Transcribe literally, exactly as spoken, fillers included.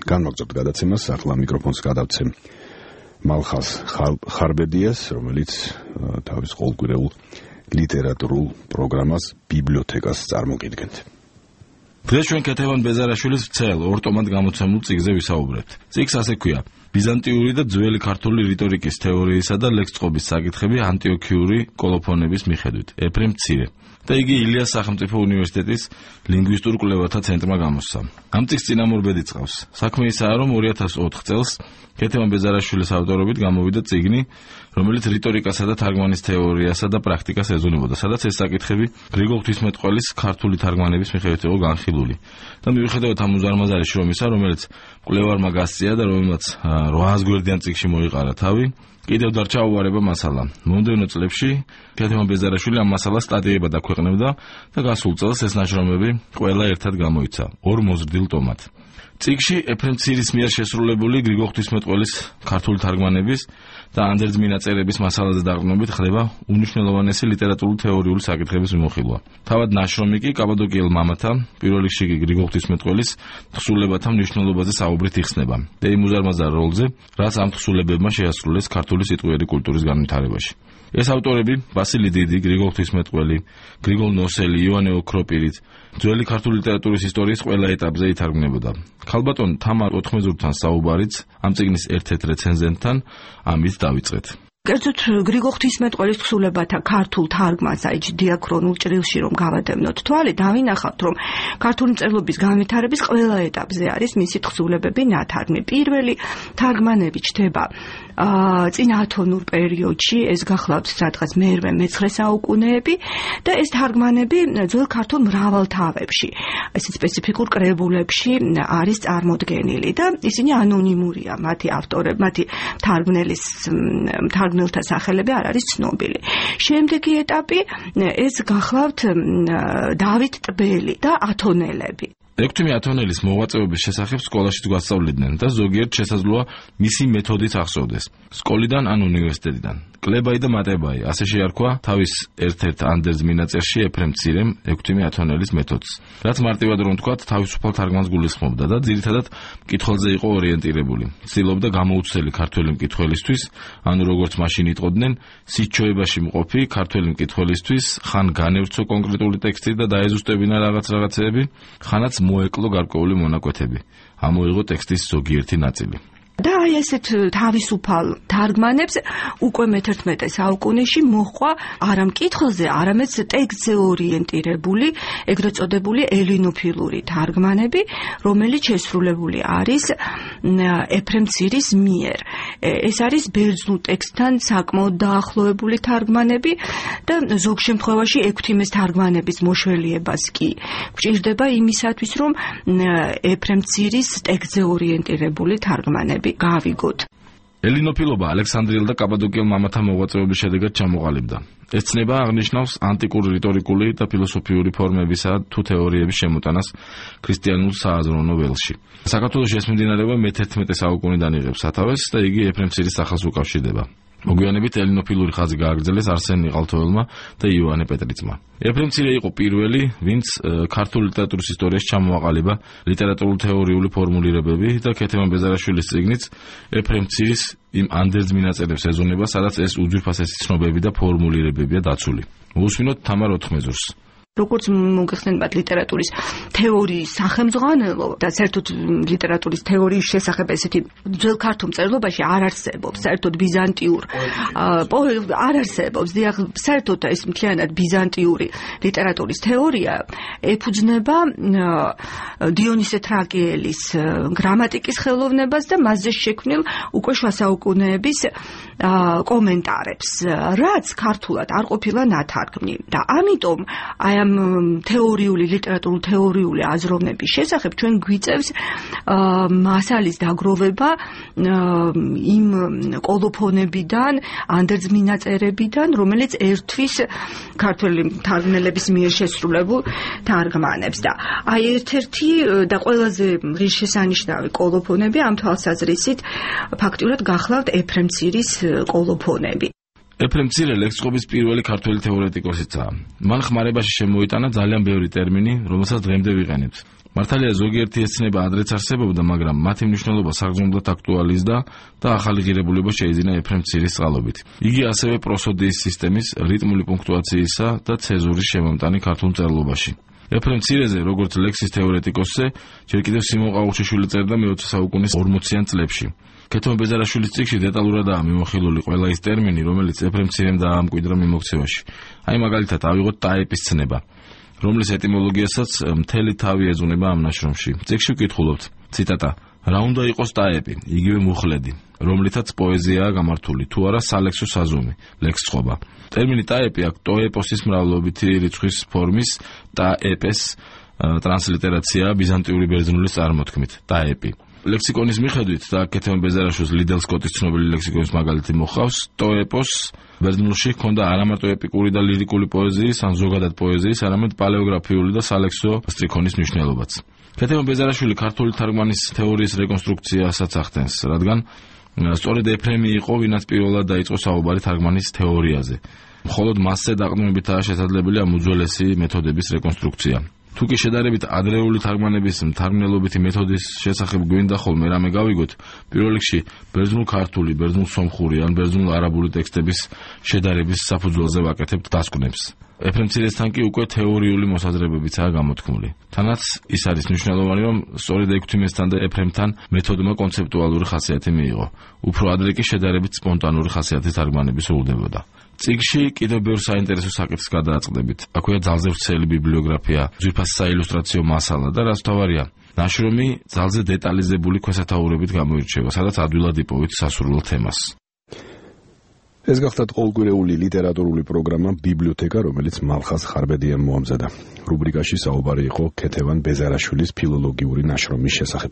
განმოგწევთ გადაცემას, ახლა მიკროფონს გადავცემ მალხას ხარბედიას, რომელიც თავის ყოველკვირეულ ლიტერატურულ პროგრამას ბიბლიოთეკას წარმოგიდგენთ. დღეს ჩვენ ქეთევან ბეზარაშვილის ვრცელ ორტომად გამოცემულ წიგნზე ვისაუბრებთ. წიგნს ასე ქვია: ბიზანტიური და ძველი ქართული რიტორიკის თეორიისა და ლექსწყობის საკითხები ანტიოქიური კოლოფონების მიხედვით. ეფრემ მცირე. და იგი ილიას სახელმწიფო უნივერსიტეტის ლინგვისტურ კვლევათა ცენტრმა გამოსცა. ამ წიგნს წინამორბედი წავს. საქმე ისაა, რომ ორი ათას ოთხ წელს ქეთევან ბეზარაშვილის ავტორობით გამოვიდა წიგნი, რომელიც რიტორიკასა და თარგმანის თეორიასა და პრაქტიკას ეძღვნებოდა, სადაც ეს საკითხები გრიგოლ ღვთისმეტყველის ქართული თარგმანების მიხედვით იყო განხილული. და მიუხედავად ამ უზარმაზარი შრომისა, რომელიც კვლევარმა გასწია და რომელმაც რვაას გვერდიან წიგნში მოიყარა თავი, კიდევ დარჩა უარება მასალა. მომდევნო წლებში ქეთევან ბეზარაშვილი ამ მასალას სტატიებად აქვეყნებდა და გასულ წელს ეს ნაშრომები ყველა ერთად გამოიცა ორ მოზრდილ ტომად. წიგნში ეფრემ მცირის მიერ შესრულებული გრიგოლ ღვთისმეტყველის ქართული თარგმანების და ანდერძმინა წერების მასალაზე დაყრდნობით ხდება უნიშნელოვანესი ლიტერატურული თეორიული საკითხების მიმოხილვა. თავად ნაშრომი კი კაპადოკიელ მამათა, პირველ რიგში კი გრიგოლ ღვთისმეტყველის თხზულებათა მნიშვნელობაზე საუბრით იხსნება და იმ უზარმაზარ როლზე, რაც ამ თხზულებებმა შეასრულეს ქართული სიტყვიერი კულტურის განვითარებაში. ეს ავტორები ვასილი დიდი, გრიგოლ ღვთისმეტყველი, გრიგოლ ნოსელი, იოანე ოქროპირით ძველი ქართული ლიტერატურის ისტორიის ყველა ეტაპზე ითარგმნებოდა. ქალბატონ თამარ ოთხმეზურთან საუბარიც ამ წიგნის ერთ-ერთ რეცენზენტთან ამით დავიწყეთ. კერძოდ გრიგოლ ღვთისმეტყველის თხზულებათა ქართულ თარგმანს აი დიაქრონულ ჭრილში რომ გავადევნოთ თვალი, დავინახავთ რომ ქართული მწერლობის განვითარების ყველა ეტაპზე არის მისი თხზულებები ნათარგმნი. პირველი თარგმანები ჩდება წინა ათონურ პერიოდში, ეს გახლავთ სადღაც მერვე მეცხრე საუკუნეები და ეს თარგმანები ძველ ქართულ მრავალთავებში, ესეც სპეციფიკურ კრებულებში არის წარმოდგენილი და ისინი ანონიმურია, მათი ავტორები, მათი თარგმნელის თარგმნელთა სახელები არ არის ცნობილი. შემდეგი ეტაპი ეს გახლავთ დავით ტბელი და ათონელები. ექვთიმე ათონელის მოღვაწეობის შესახებ სკოლაშიც გვასწავლიდნენ და ზოგიერთ შესაძლოა მისი მეთოდით ახსოვდეს. სკოლიდან ან უნივერსიტეტიდან. კლებაი და მატებაი, ასე შეარქვა თავის ერთ-ერთ ანდერძმინა წერში ეფრემ მცირემ ექვთიმე ათონელის მეთოდს. რაც მარტივად რომ თქვათ, თავისუფალ თარგმანს გულისხმობდა და ძირითადად მკითხველზე იყო ორიენტირებული. ცდილობდა გამოუცდელი ქართველი მკითხველისთვის, ანუ როგორც მაშინ იტყოდნენ, სიჩოებაში მყოფი ქართველი მკითხველისთვის ხან განევრცო კონკრეტული ტექსტი და დაეზუსტებინა რაღაც რაღაცეები, ხანაც მოეკლო გარკვეული მონაკვეთები. ამოიღო ტექსტის ზოგიერთი ნაწილი. და აი ესეთ თავისუფალ თარგმანებს უკვე მეთერთმეტე საუკუნეში მოჰყვა არა მკითხველზე, არამედ ტექსტზე ორიენტირებული, ეგრეთ წოდებული ელინოფილური თარგმანები, რომელიც შესრულებული არის ეფრემ მცირის მიერ. ეს არის ბერძნულ ტექსტთან საკმაოდ დაახლოებული თარგმანები და ზოგ შემთხვევაში ექვთიმეს თარგმანების მოშველიებას კი გვჭირდება იმისათვის, რომ ეფრემ მცირის ტექსტზე ორიენტირებული თარგმანები გავიგოთ. ელინოფილობა ალექსანდრიელ და კაპადოკიელ მამათა მოღვაწეობის შედეგად ჩამოყალიბდა. ეს ცნება აღნიშნავს ანტიკური რიტორიკული და ფილოსოფიური ფორმებისა თუ თეორიების შემოტანას ქრისტიანულ სააზროვნო ველში. საქართველოში ეს მიმდინარეობა მეთერთმეტე საუკუნიდან იღებს სათავეს და იგი ეფრემ მცირის სახელს უკავშირდება. მოგვიანებით ელინოფილური ხაზი გააგრძელეს არსენ ნიღალთოელმა და იოანე პეტრიწმა. ეფრემ მცირე იყო პირველი, ვინც ქართული ლიტერატურის ისტორიაში ჩამოაყალიბა ლიტერატურულ თეორიული ფორმულირებები და ქეთევან ბეზარაშვილის წიგნიც ეფრემ მცირის იმ ანდერძმინა წერებს ეძღვნება, სადაც ეს უძვირფასესი ცნობები და ფორმულირებებია დაცული. მოусმინოთ თამარ ოთხმეზურს. როგორც მოგეხსენებათ ლიტერატურის თეორიის სახელმძღვანელო და საერთოდ ლიტერატურის თეორიის შესახებ ესეთი ძველ ქართულ მწერლობაში არ არსებობს, საერთოდ ბიზანტიურ არ არსებობს. დიახ, საერთოდ ეს მთლიანად ბიზანტიური ლიტერატურის თეორია ეფუძნება დიონისე თრაკიელის გრამატიკის ხელოვნებას და მასზე შექმნილ უკვე შუა საუკუნეების კომენტარებს, რაც ქართულად არ ყოფილა ნათარგმნი და ამიტომ აი ამ თეორიული, ლიტერატურულ თეორიული აზროვნების შესახებ ჩვენ გვიწევს მასალის დაგროვება იმ კოლოფონებიდან, ანდერძმინა წერებიდან, რომელიც ერთვის ქართველი თარგმნელების მიერ შესრულებულ თარგმანებს და აი ერთ-ერთი და ყველაზე ღირსშესანიშნავი კოლოფონები ამ თვალსაზრისით ფაქტიურად გახლავთ ეფრემ მცირის კოლოფონები. ეფრემ მცირე ლექსწყობის პირველი ქართველი თეორეტიკოსიცაა. მან ხმარებაში შემოიტანა ძალიან ბევრი ტერმინი, რომელსაც დღემდე ვიყენებთ. მართალია ზოგიერთი ეს ცნება ადრეც არსებობდა, მაგრამ მათი მნიშვნელობა საგრძნობლად აქტუალიზდა და ახალი ღირებულება შეიძინა ეფრემ მცირეს წყალობით. იგი ასევე პროსოდიის სისტემის, რიტმული პუნქტუაციისა და ცეზურის შემომტანი ქართულ მწერლობაში. ეფრემ მცირეზე, როგორც ლექსის თეორეტიკოსზე, ჯერ კიდევ სიმონ ყაუხჩიშვილი წერდა მეოცე საუკუნის ორმოციან წლებში. ქეთევან ბეზარაშვილის წიგნში დეტალურადაა მიმოხილული ყველა ის ტერმინი, რომელიც ეფრემ მცირემ დაამკვიდრა მიმოქცევაში. აი მაგალითად, ავიღოთ ტაეპის ცნება, რომლის ეტიმოლოგიასაც მთელი თავი ეძუნება ამ ნაშრომში. წიგნში ვკითხულობთ, ციტატა: რა უნდა იყოს ტაეპი, იგივე მუხლედი, რომლითაც პოეზიაა გამართული, თუ არა სალექსო საზომი, ლექსწყობა. ტერმინი ტაეპი აქ ტოეპოსის მრავლობითი რიცხვის ფორმის ტაეპეს ტრანსლიტერაციაა ბიზანტიური ბერძნულის წარმოთქმით, ტაეპი. ლექსიკონის მიხედვით და ქეთევან ბეზარაშვილის ლიდელ სკოტის ცნობილი ლექსიკონის მაგალითი მოხავს, ტოეპოს ბერძნულში ჰქონდა არამარტო ეპიკური და ლირიკული პოეზიის, ან ზოგადად პოეზიის, არამედ პალეოგრაფიული და სალექსო სტრიქონის მნიშვნელობაც. ქეთევან ბეზარაშვილი ქართული თარგმანის თეორიის რეკონსტრუქციასაც ახდენს, რადგან სწორედ ეფრემი იყო, ვინაც პირველად დაიწყო საუბარი თარგმანის თეორიაზე. მხოლოდ მასზე დაყრდნობითაა შესაძლებელი ამ უძველესი მეთოდების რეკონსტრუქცია. თუკი შედარებით ადრეული თარგმანების მთარგმნელობითი მეთოდის შესახებ გვინდა ხოლმე რამე გავიგოთ, პირველ რიგში ბერძნულ-ქართული, ბერძნულ-სომხური ან ბერძნულ-არაბული ტექსტების შედარების საფუძველზე ვაკეთებთ დასკვნებს. ეფრემ მცირესთან კი უკვე თეორიული მოსაზრებებიცაა გამოთქმული. თანაც ის არის მნიშვნელოვანი, რომ სწორედ ექვთიმესთან და ეფრემთან მეთოდმა კონცეპტუალური ხასიათი მიიღო. უფრო ადრე კი შედარებით სპონტანური ხასიათის თარგმანები სრულდებოდა. წიგნში კიდევ ბევრ საინტერესო საკითხს გადააწყდებით. აქვეა ძალზე ვრცელი ბიბლიოგრაფია, ძვირფასი საილუსტრაციო მასალა და რაც თავარია, ნაშრომი ძალზე დეტალიზებული ქვესათაურებით გამოირჩევა, სადაც ადვილად იპოვეთ სასურველ თემას. ეს გახლავთ ყოველკვირეული ლიტერატურული პროგრამა ბიბლიოთეკა, რომელიც მალხაზ ხარბედიამ მოამზადა. რუბრიკაში საუბარი იყო ქეთევან ბეზარაშვილის ფილოლოგიური ნაშრომის შესახებ.